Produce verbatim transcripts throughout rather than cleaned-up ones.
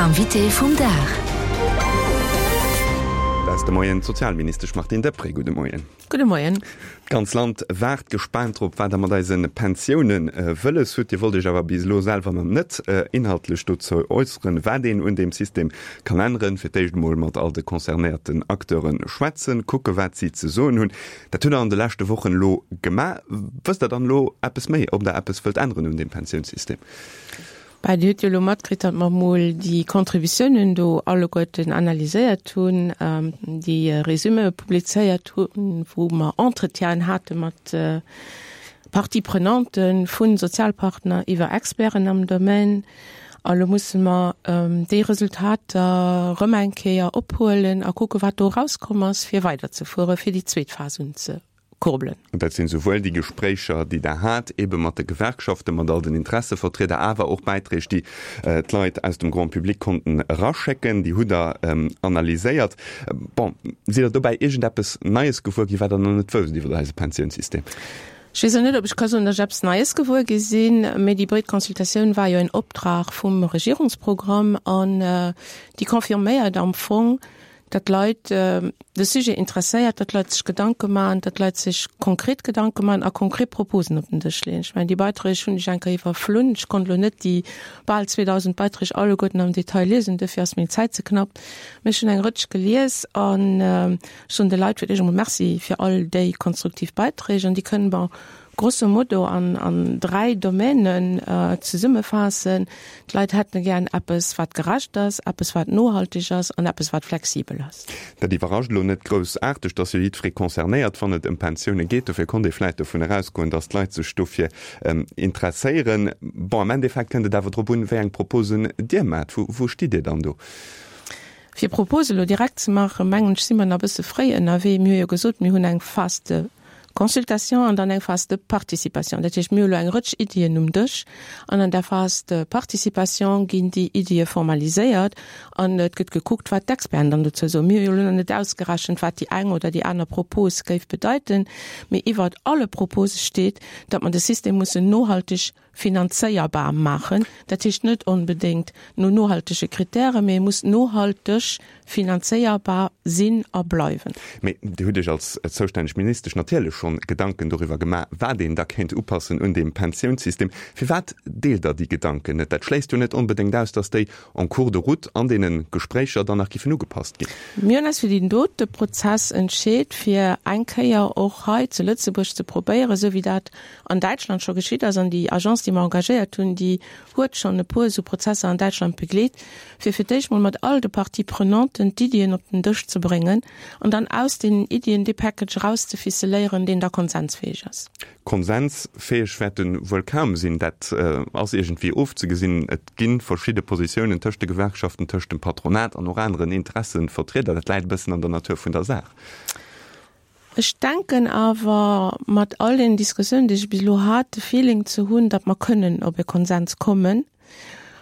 Invité vum Dag. Dat ass de Moien d'Sozialministesch Martine Deprez. Gudde Moien. Gudde Moien. D'ganz Land waart gespaant drop, wat Der mat eise Pensiounen wëlles hutt. Dir wollt Iech awer bis elo selwer nach net inhaltlech dozou äusseren, wat een un deem System kann änneren. Fir d'éischt emol mat all de concernéierten Acteure schwätzen, kucke wat si ze soen hunn. Dat hutt Der an de leschte Wochen elo gemaach. Wësst Der dann elo eppes méi, ob Der eppes wëllt änneren un deem Pensiounssystem? Bah, Dir hutt jo elo matkritt, datt mer emol déi Contributiounen do alleguerten analyséiert hunn, déi Resüméë publizéiert hunn, wou mer Entretienen hate mat Parties prenantes, vu Sozialpartner iwwer Experten am Domaine. A lo musse mer déi Resultater erëm eng Kéier ophuelen a kucke wat do erauskomm ass, fir weiderzefueren, fir déi zweet Phas unze. kurbelen. Dat sinn souwuel déi Gespréicher, déi Der hat, eebe mat de Gewerkschaften, mat all den Interessevertrieder, awer och Bäiträg, déi d'Leit aus dem Grand public konnten eraschécken. Déi hutt Der analyséiert. Bon, sidd Der dobäi iergendeppes Neies gewuer ginn, wat Der nach net wousst iwwer eise Pensiounssystem? Ech weess elo net, ob ech ka soen, datt ech eppes Neies gewuer gi sinn, mee déi breet Consultatioun war jo en Optrag vum Regierungsprogramm an déi confirméiert am Fong, datt d'Leit de Sujet interesséiert, datt d'Leit sech Gedanke maachen, datt d'Leit sech konkret Gedanke maachen a konkret Proposen op den Dësch leeën. Ech mengen, déi Beiträg hunn ech eng Kéier iwwerflunn. Ech konnt elo net déi bal zweedausend Beiträg alleguerten am Detail liesen, duerfir ass meng Zäit ze knapp. Mee ech hunn eng Rëtsch gelies an ech soen de Leit fir d'éischt emol Merci fir all déi konstruktiv Beiträg an déi kënne mer grosso modo an, an dräi Domänen zesummefaassen. D'Leit hätte gären eppes, wat gerecht ass, eppes, wat nohalteg ass an eppes, wat flexibel ass. Dat iwwerrascht elo net groussaarteg, dass jo jiddweree concernéiert, wann et ëm Pensioune geet. Dofir konnt ee vläicht dovun erausgoen, dass d'Leit sech dofir interesséieren. Bon, am Endeffekt kënnt et awer drop un, wéi eng Proposen Dir maacht. Wou, wou stitt Dir dann do? Fir Propose elo direkt ze maachen, mengen ech, si mer nach e bësse fréi ënnerwee. Mir hu jo gesot, mir hunn eng Phase de consultation an dann eng Phase de participation. Dat heescht, mir hu elo eng Rëtsch Iddien um Dësch an an der Phase de participation ginn déi Iddie formaliséiert an et gëtt gekuckt, wat d'Experten dann dozou soen. Mir hu jo elo nach net ausgerechent, wat déi eng oder déi aner Propos géif bedeiten, mee iwwert alle Propose steet, datt mer de System mussen nohalteg finanzéierbar maachen. Dat heescht net onbedéngt no nohaltege Kritären, mee e muss nohalteg finanzéierbar sinn a bleiwen. Mee Dir hutt Iech als zoustänneg Ministesch natierlech schonn Gedanken doriwwer gemaach, wat een da kéint upassen un deem Pensiounssystem. Firwat deelt Der déi Gedanken net? Dat schléisst jo net onbedéngt aus, datt déi en cours de route an deene Gespréicher dann nach giffen ugepasst ginn. Mir hunn eis fir deen dote Prozess entscheet, fir eng Kéier och hei zu Lëtzebuerg ze probéieren, esou wéi dat an Däitschland scho geschitt ass, an déi Agence, déi mer engagéiert hunn, déi huet schonn e puer esou Prozesser an Däitschland begleet, fir fir d'éischt mol mat all de Parties prenanten d'Iddien op den Dësch ze bréngen an dann aus deenen Iddien dee Package erauszeficeléieren, deen da konsensfäeg ass. Konsensfäeg wäert e wuel kaum sinn, dat ass iergendwéi ofzegesinn. Et gi verschidde Positiounen tëscht de Gewerkschaften, tëscht dem Patronat an och aneren Interessevertrieder. Dat läit e bëssen an der Natur vun der Saach. Ech denken awer, mat all deenen Diskussiounen, déi ech bis elo hat, de Feeling ze hunn, datt mer kënnen op e Konsens kommen,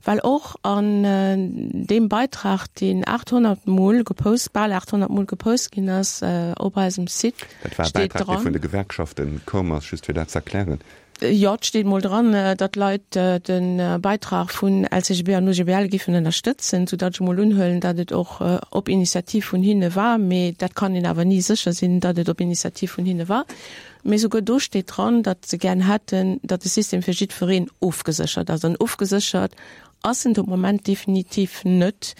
well och an deem Beitrag, deen achthonnert Mol gepost, bal achthonnert Mol gepost ginn ass op eisem Site, Dat war e steet Bäitrag, dee dran, vun de Gewerkschafte koum ass, just fir dat ze erklären. Jo, et steet mol dran, datt d'Leit de Beitrag vun L C G B an O G B L giffen ënnerstëtzen, soudatt ech mol unhuelen, datt et och op Initiativ vun hinne war. Mee dat kann een awer ni sécher sinn, datt et op Initiativ vun hinne war. Mee souguer do steet dran, datt se gären hätten, datt de System fir jiddwereen ofgeséchert ass. An ofgeséchert ass en de Moment definitiv net,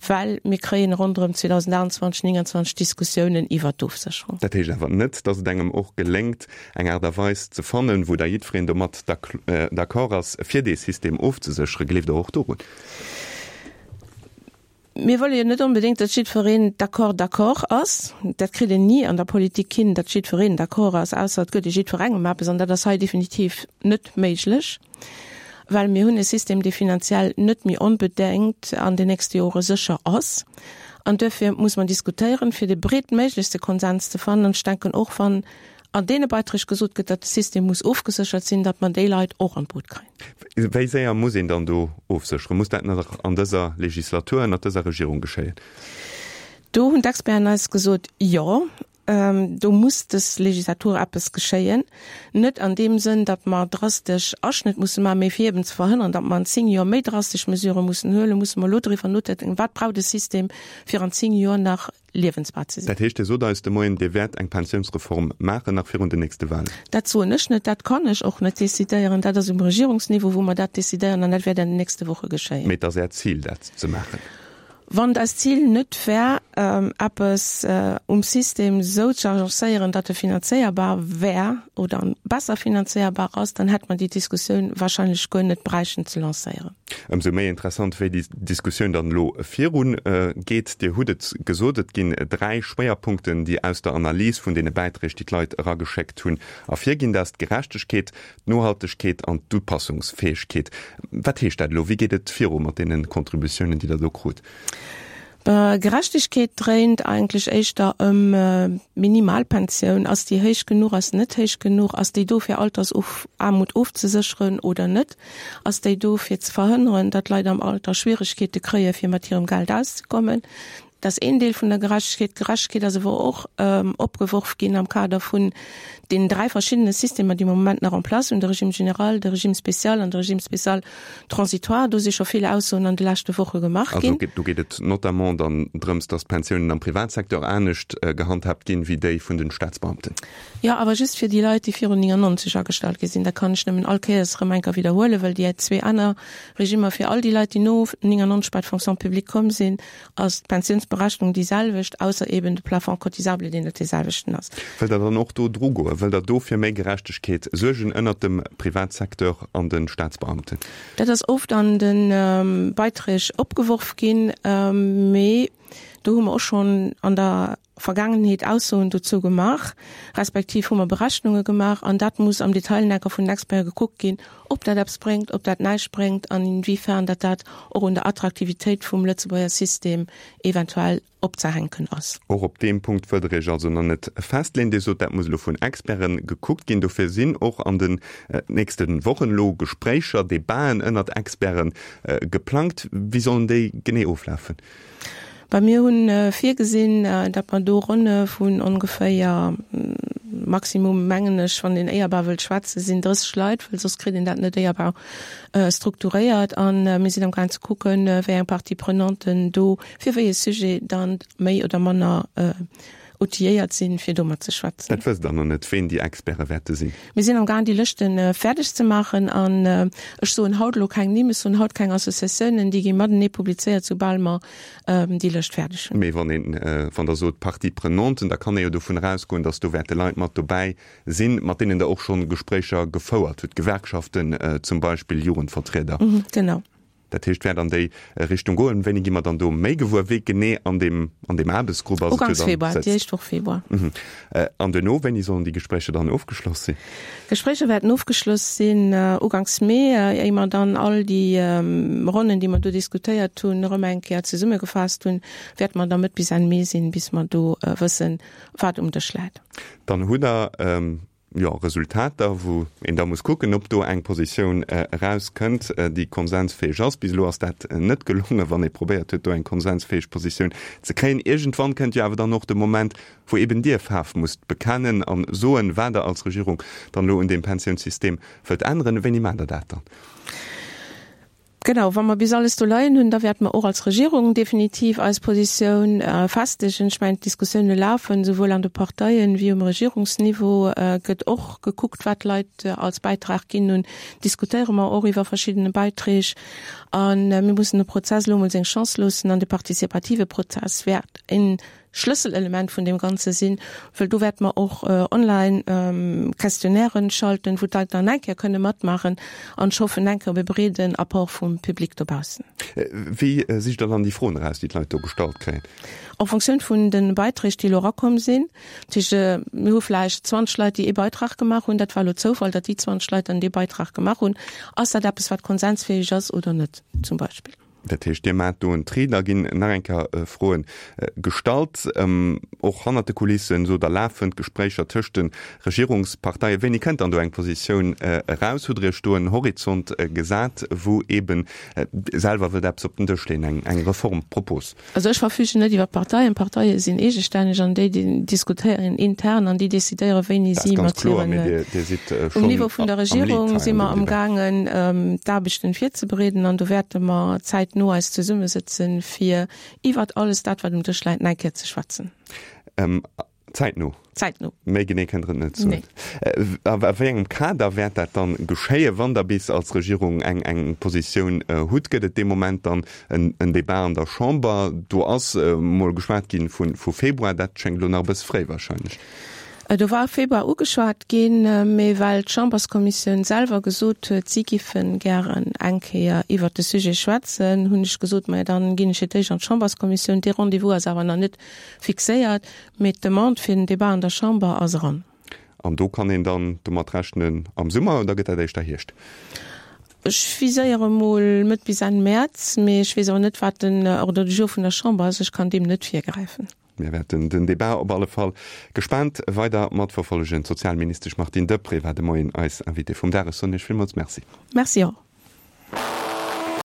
well mir kréien ronderëm zweedausendaachtundzwanzeg, nénganzwanzeg Diskussiounen iwwert d'Ofsécherung. Dat heescht awer net, datt et engem och geléngt, eng Aart a Weis ze fannen, wou da jiddwereen domat d'accord ass, fir dee System ofzesécheren. Gleeft Der och dorun? Mir wëlle jo net onbedéngt, datt jiddwereen d'accord d'accord ass. Dat kritt een ni an der Politik hin, datt jiddwereen d'accord ass, ausser et gëtt ee jiddwerengem eppes. An dat ass hei definitiv net méiglech, well mir hunn e System, dee finanziell net méi onbedéngt an den nächste Jore sécher ass. An duerfir muss mer diskutéieren, fir de breetméiglechste Konsens ze fannen. An ech denken, och wann an deene Beiträg gesot gëtt, datt de System muss ofgeséchert sinn, datt mer déi Leit och an d'Boot kréien. Wéi séier muss een dann do ofsécheren? Muss dat nach an dëser Legislatur, ënnert dëser Regierung geschéien? Do hunn d'Experten eis gesot, jo. Do muss dës Legislatur eppes geschéien. Net an deem Sënn, datt mer drastesch Aschnëtt musse maachen, mee fir eben ze verhënnern, datt mer an zéng Joer méi drastesch Mesurë mussen huelen, musse mer elo driwwer nodenken, Wat brauch de System, fir an zéng Joer nach liewensbar ze sinn? Dat heescht, Dir sot eis de Moien, Dir wäert eng Pensiounsreform maachen nach virun den nächste Wahlen. Dat soen ech net, dat kann ech och net decidéieren. Dat ass um Regierungsniveau, wou mer dat decidéieren, an dat wäert an den nächste Woche geschéien. Mee et ass Äert Zil, dat ze maachen? Wann et eist Zil net wär, eppes um System esou ze agencéieren, datt e finanzéierbar wär oder besser finanzéierbar ass, dann hätt mer déi Diskussioun wahrscheinlech guer net bräichten ze lancéieren. Ëmsou méi interessant, wéi déi Diskussioun dann elo virun geet. Dir hutt et gesot, et ginn dräi Schwéierpunkten, déi aus der Analys vun deene Bäiträg, déi d'Leit erageschéckt hunn, ervirginn. Dat ass d'Gerechtegkeet, d'Nohaltegkeet an d'Upassungsfäegkeet. Wat heescht dat elo? Wéi geet et viru mat deene Contributiounen, déi Der do krut? Gerechtegkeet dréint eigentlech éischter ëm d'Minimalpensioun. Ass déi héich genuch, ass se net héich genuch? Ass déi do fir Altersaarmut ofzesécheren oder net? Ass déi do fir ze verhënneren, datt Leit am Alter Schwieregkeete kréie fir mat hirem Geld auszekommen? Dat ass een Deel vun der Gerechtegkeet. D'Gerechtegkeet ass awer och opgeworf ginn am Kader vun deenen dräi verschiddene Systemer, déi mer am Moment nach en place hunn, de Régime général, de Régime spécial an de Régime spécial transitoire. Do si scho vill Aussoen an de leschte Woche gemaach ginn. Also do geet et notamment dann drëms, datt d'Pensiounen am Privatsecteur anescht gehandhaabt ginn, wéi déi vun den Staatsbeamten. Jo, awer just fir déi Leit, déi virun néngannonzeg agestallt gi sinn. Dat kann ech nëmmen all Kéiers erëm eng Kéier widderhuelen, well déi zwee aner Regimmer fir all déi Leit, déi no néngannonzeg bei d'Fonction publique komm sinn, ass d'Pensiounsberechnung déi selwecht, ausser eben de Plafond cotisable, deen net dee selwechten ass. Wëllt Der dann och do dru goen? Wëllt Der do fir méi Gerechtegkeet suergen ënnert dem Privatsecteur an de Staatsbeamten? Dat ass oft an de Beiträg opgeworf ginn, mee do hu mer och schonn an der Vergaangenheet Aussoen dozou gemaach, respektiv hu mer Berechnunge gemaach an dat muss am Detail enker vun den Experte gekuckt ginn, ob dat eppes bréngt, ob dat näischt bréngt an inwiefern dat dat och un der Attraktivitéit vum Lëtzebuerger System eventuell opzehänken ass. Och op deem Punkt wëllt Der Iech also nach net festleeën. Dir sot, dat muss elo vun Experte gekuckt ginn. Dofir sinn och an den nächste Wochen elo Gespréicher, Debaten ënnert Experte geplangt. Wéi sollen déi genee oflafen? Bah, mir hunn virgesinn, datt mer do Ronne vun ongeféier, Maximum mengen ech, wann een éierbar wëllt schwätzen, sinn drësseg Leit, well soss kritt een dat net éierbar strukturéiert. A mir sinn amgaang ze kucken, wéi eng Partie-prenanten do fir wéi e Sujet dann méi oder manner outilléiert sinn, fir do mat ze schwätzen. Dat wësst Der nach net, ween déi Experte wäerte sinn? Mir sinn amgaang, déi Lëschte fäerdeg ze maachen. An ech soen haut elo keng Nimm, ech soen haut keng Associatiounen, déi gi matenee publizéiert, soubal mer déi Lëscht fäerdeg hunn. Mee wann een, wann Der sot Partie-prenanten, da kann ee jo dovun erausgoen, datt do wäerte Leit mat dobäi sinn, mat deenen Der och schonn Gespréicher gefouert hutt, Gewerkschaften zum Beispill, Jugendvertrieder. Genau. Dat heescht, wäert an déi Richtung goen. Wéini gi mer dann do méi gewuer, wee genee an deem, an deem Aarbechtsgrupp ass? Uganks Februar, déi éischt Woch Februar. An duerno, wéini sollen déi Gespréicher dann ofgeschloss sinn? D'Gespréicher wäerten ofgeschloss sinn uganks Mee, éier mer dann all déi Ronnen, déi mer do diskutéiert hunn, erëm eng Kéier zesummegefaasst hunn, wäerte mer da Mëtt bis Enn Mee sinn, bis mer do wëssen, wat um Dësch läit. Dann hutt Der jo, Resultater, wou een da muss kucken, ob do eng Positioun erauskënnt, déi konsensfäeg ass. Bis elo ass dat net gelongen, wann ee probéiert huet, do eng konsensfäeg Positioun ze kréien. Iergendwann kënnt jo awer dann och de Moment, wou eben Dir Faarf musst bekennen a soen, wat Der als Regierung dann elo un deem Pensiounssystem wëllt änneren. Wéini maacht Der dat dann? Genau, wa mer bis alles do leien hunn, da wäerte mer och als Regierung definitiv eis Positioun festegen. Ech mengen, d'Diskussioune lafen, souwuel an de Parteien wéi um Regierungsniveau gëtt och gekuckt, wat d'Leit als Bäitrag ginn hunn. Diskutéiere mer och iwwer verschiddene Beiträg. A mir mussen de Prozess elo emol seng Chance loossen an de partizipative Prozess wäert en Schlësselelement vun deem Ganze sinn, wëll do wäerte mer och online Questionnairen schalten, wou d'Leit dann eng Kéier kënne matmaachen an ech hoffen eng Kéier op e breeden Apport vum Public dobaussen. Wéi sicht Der dann déi Froen eraus, déi d'Leit do gestallt kréien? En Fonctioun vun de Beiträg, déi elo erakomm sinn. Dat heescht, mir hu vläicht zwanzeg Leit, déi ee Beitrag gemaach hunn. Dat war elo Zoufall, datt déi zwanzeg Leit dann dee Beitrag gemaach hunn. Ass dat eppes, wat konsensfäeg ass oder net, zum Beispill? Dat heescht, Dir maacht do en Tri, da ginn nach eng Kéier Froen gestallt, och hannert de Kulissen, sot Der, lafen d'Gespréicher tëscht de Regierungsparteien. Wéini kënnt dann do eng Positioun eraus? Hutt Der Iech do en Horizont gesat, wou eeben selwer wëllt eppes op den Dësch leeën, eng Reformpropos? Also ech verfügen net iwwer d'Parteien. D'Parteie sinn eegestänneg an déi diskutéieren intern an déi decidéieren, wéini si mat hiren. Um Niveau vun der Regierung si mer amgaangen, d'Aarbechten virzebereeden an do wäerte mer zäitno eis zesummesëtzen, fir iwwert alles dat, wat um Dësch läit, nach eng Kéier ze schwätzen. Zäitno? Zäitno. Méi genee kënnt Der et net soen. Nee. A wéi engem Kader wäert dat dann geschéien, wann Der bis als Regierung eng eng Positioun hutt? Gëtt et dee Moment dann en en Débat an der Chamber? Do ass mol geschwat gi vu vu Februar. Dat schéngt elo nach e bësse fréi wahrscheinlech. Do war Februar ugeschwat ginn, mee well d'Chamberskommissioun selwer gesot huet, si giffe gären eng Kéier iwwert de Sujet schwätzen, hunn ech gesot, majo dann ginn ech fir d'éischt an d'Chamberskommissioun. Dee Rendez-vous ass awer nach net fixéiert, mee d'Demande fir den Débat an der Chamber ass eran. An do kann een dann domat rechnen am Summer oder gëtt dat éischter Hierscht? Ech viséiere mol Mëtt bis Enn Mäerz, mee ech weess awer net, wat den Ordre du jour vun der Chamber ass. Ech kann deem net virgräifen. Mir wäerten den Debat op alle Fall gespaant weider matverfollegen. D'Sozialministesch Martine Deprez war de Moien eis Invitée vum Dag. Ech soen Iech villmools Merci. Merci och.